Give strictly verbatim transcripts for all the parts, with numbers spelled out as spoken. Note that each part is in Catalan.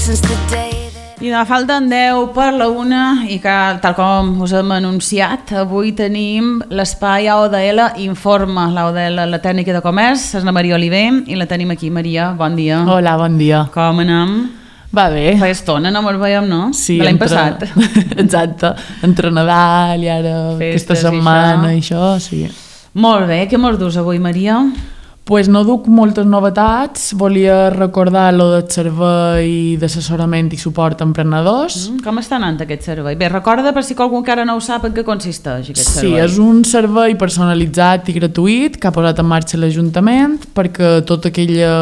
I de falten deu per la una i que, tal com us hem anunciat, avui tenim l'espai A O D L Informa, l'A O D L, la tècnica de comerç, és la Maria Oliver i la tenim aquí. Maria, bon dia. Hola, bon dia. Com anem? Va bé. Fa estona, no me'l veiem, no? Sí, de l'any entre... passat. Exacte, entre Nadal i ara Festes aquesta setmana i i això, sí. Molt bé, què mos dus avui, Maria? Pues no duc moltes novetats, volia recordar lo del servei d'assessorament i suport a emprenedors. Mm, com està anant aquest servei? Bé, recorda per si qualcú encara no ho sap en què consisteix aquest Sí, servei. és un servei personalitzat i gratuït que ha posat en marxa l'Ajuntament perquè tota aquella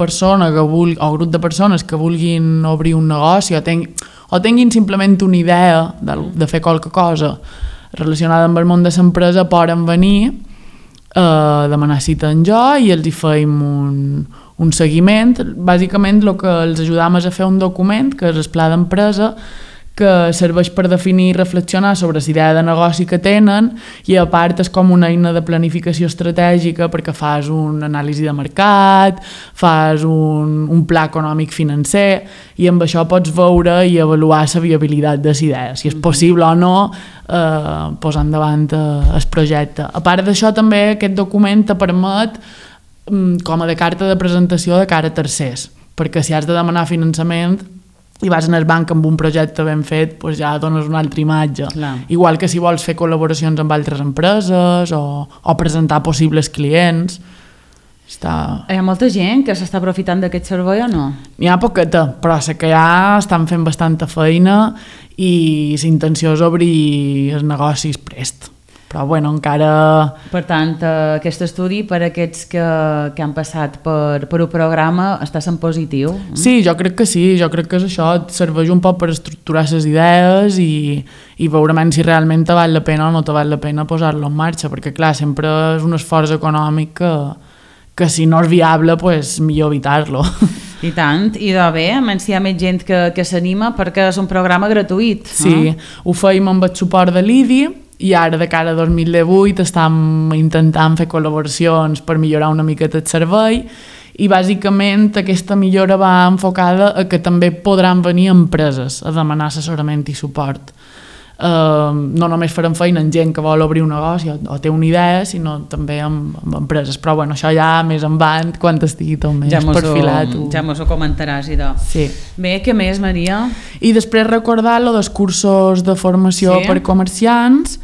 persona que vulgui, o grup de persones que vulguin obrir un negoci o, ten, o tinguin simplement una idea de, de fer qualque cosa relacionada amb el món de l'empresa poden venir a demanar cita en jo i els hi feim un, un seguiment. Bàsicament el que els ajudam és a fer un document que és el pla d'empresa que serveix per definir i reflexionar sobre la idea de negoci que tenen i a part és com una eina de planificació estratègica perquè fas una anàlisi de mercat, fas un, un pla econòmic financer i amb això pots veure i avaluar la viabilitat de la idea, si és possible o no eh, posar endavant eh, el projecte. A part d'això també aquest document te permet com a de carta de presentació de cara a tercers, perquè si has de demanar finançament i vas en el banc amb un projecte ben fet, doncs ja dones una altra imatge. Clar. Igual que si vols fer col·laboracions amb altres empreses o, o presentar possibles clients. Està... Hi ha molta gent que s'està aprofitant d'aquest servei o no? N'hi ha poqueta, però sé que ja estan fent bastanta feina i la intenció és obrir els negocis prest. Però bueno, encara... Per tant, eh, aquest estudi per a aquests que, que han passat per, per un programa està sent positiu? Sí, jo crec que sí, jo crec que és això, et serveix un poc per estructurar les idees i, i veure si realment te val la pena o no te val la pena posar-lo en marxa, perquè clar, sempre és un esforç econòmic que, que si no és viable, pues, millor evitar-lo. I tant, i de bé, menys si hi ha més gent que, que s'anima perquè és un programa gratuït. Sí, eh? ho feim amb el suport de l'I D I i ara de cara a dos mil divuit estem intentant fer col·laboracions per millorar una miqueta el servei i bàsicament aquesta millora va enfocada a que també podran venir empreses a demanar assessorament i suport. Uh, no només farem feina amb gent que vol obrir un negoci o, o té una idea, sinó també amb, amb empreses, però bueno, això ja més endavant quan estigui tot més ja perfilat. Ho, ja mos ho comentaràs, idò. Sí. Bé, què més, Maria? I després recordar lo dels cursos de formació sí. per comerciants.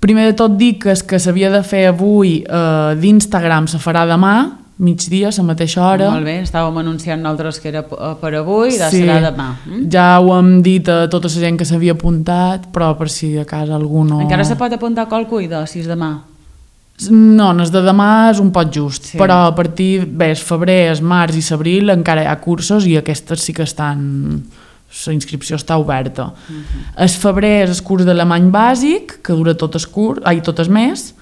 Primer de tot dic que el que s'havia de fer avui eh, d'Instagram se farà demà, migdia, a la mateixa hora. Molt bé, estàvem anunciant nosaltres que era per avui i de sí. serà demà. Mm? Ja ho hem dit a tota la gent que s'havia apuntat, però per si a casa algú no... Encara se pot apuntar qualcú, idò, si és demà? No, el de demà és un poc just, sí. però a partir, bé, el febrer, el març i l'abril encara hi ha cursos i aquestes sí que estan... la inscripció està oberta. Uh-huh. El febrer és el curs d'alemany bàsic, que dura tot el curs, ai, tot el mes,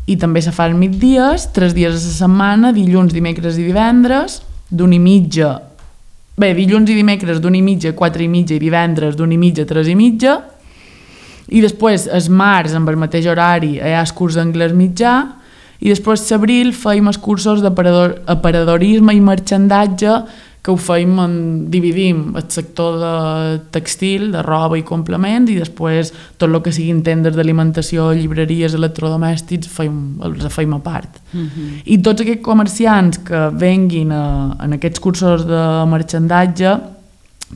i també se fa els migdies, tres dies a la setmana, dilluns, dimecres i divendres, d'una i mitja, bé, dilluns i dimecres d'una i mitja, quatre i mitja i divendres d'una i mitja, tres i mitja, i després, el març, amb el mateix horari, hi ha el curs d'anglès mitjà, i després l'abril feim els cursos d'aparadorisme i marxandatge, que ho feim, en, dividim el sector de textil, de roba i complements, i després tot el que siguin tendes d'alimentació, llibreries, electrodomèstics, feim, els feim a part. Uh-huh. I tots aquests comerciants que venguin a, en aquests cursos de marxandatge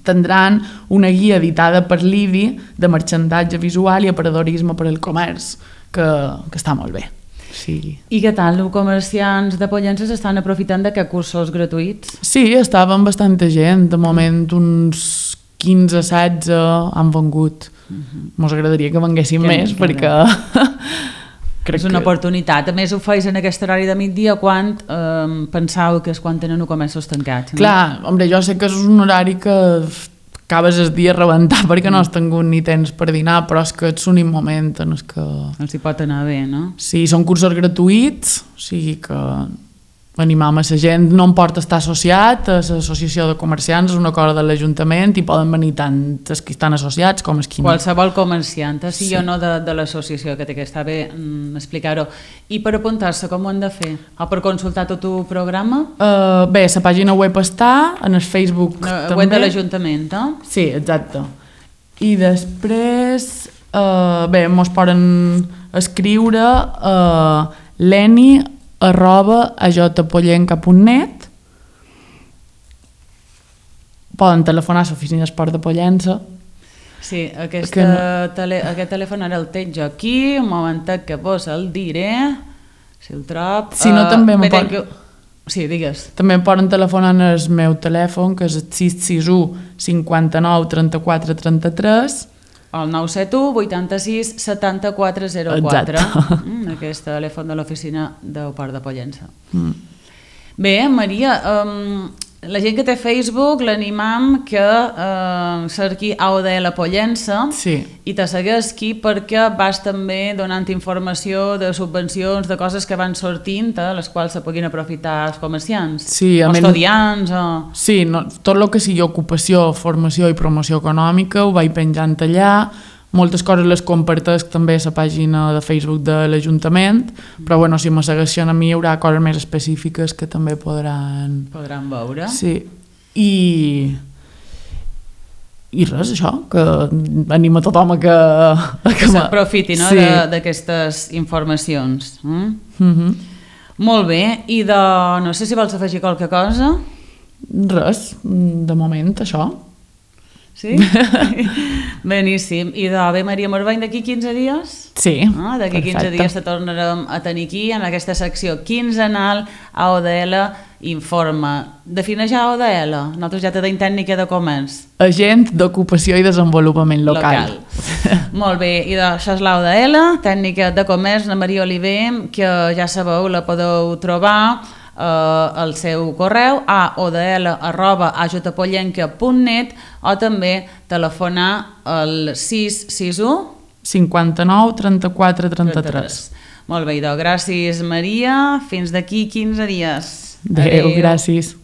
tindran una guia editada per l'I D I de marxandatge visual i aparadorisme per al comerç, que, que està molt bé. Sí. I què tal, els comerciants de Pollença estan aprofitant d'aquests cursos gratuïts? Sí, estàvem bastanta gent, de moment uns quinze setze han vengut. Uh-huh. Mos agradaria que venguessin que més perquè... Crec és una que... oportunitat. A més, ho feis en aquest horari de migdia quan eh, pensau que és quan tenen els comerços tancats. No? Clar, hombre, jo sé que és un horari que acabes el dia a rebentar perquè no has tingut ni temps per dinar, però és que ets un moment en el que... Els hi pot anar bé, no? Sí, són cursos gratuïts, o sigui que animam a la gent, no em porta estar associat a l'associació de comerciants, és una cosa de l'Ajuntament i poden venir tant els que estan associats com els que no. Qualsevol comerciant, sí, sí o no de, de l'associació, que té que estar bé mm, explicar-ho. I per apuntar-se com ho han de fer? O per consultar tot el programa? Uh, bé, la pàgina web està, en el Facebook no, també. Web de l'Ajuntament, eh? Sí, exacte. I després, uh, bé, mos poden escriure a uh, l'eni arroba a jpollenca punt net. Poden telefonar a l'oficina d'esport de Pollença. Sí, aquesta no... tele, aquest telèfon ara el tenc jo aquí, un momentet que vos el diré, si el trob... Si no, uh, també me pot... que... Sí, digues. També poden telefonar en el meu telèfon, que és el sis sis u cinquanta-nou trenta-quatre trenta-tres. El nou set u vuitanta-sis setanta-quatre zero quatre. Mm, aquest telèfon de l'oficina del Port de Pollença. Mm. Bé, Maria, um, la gent que té Facebook l'animam que uh, cerqui A O D L Pollença, sí, i te segueixi perquè vas també donant informació de subvencions, de coses que van sortint, eh, les quals se puguin aprofitar els comerciants, sí, o estudiants. O... Sí, no, tot el que sigui ocupació, formació i promoció econòmica ho vaig penjant allà. Moltes coses les comparteix també a la pàgina de Facebook de l'Ajuntament, però bueno, si me segueixen a mi hi haurà coses més específiques que també podran... Podran veure. Sí, i... I res, això, que anima tothom a que... A que s'aprofiti, no, sí, d'aquestes informacions. Mm? Mm-hmm. Molt bé, i de... no sé si vols afegir qualque cosa? Res, de moment, això. Sí? Beníssim. I de bé, Maria Morvany, d'aquí quinze dies? Sí, ah, d'aquí quinze dies te tornarem a tenir aquí en aquesta secció quinzenal A O D L Informa. Defineix A O D L, nosaltres ja te deim tècnica de comerç. Agent d'ocupació i desenvolupament local. local. Molt bé, i això és l'A O D L, tècnica de comerç, la Maria Oliver, que ja sabeu, la podeu trobar Uh, el seu correu a o d l arroba a jpollenca punt net o també telefonar al sis sis u cinquanta-nou trenta-quatre trenta-tres. Molt bé, idò. Gràcies, Maria. Fins d'aquí quinze dies. Adéu, gràcies.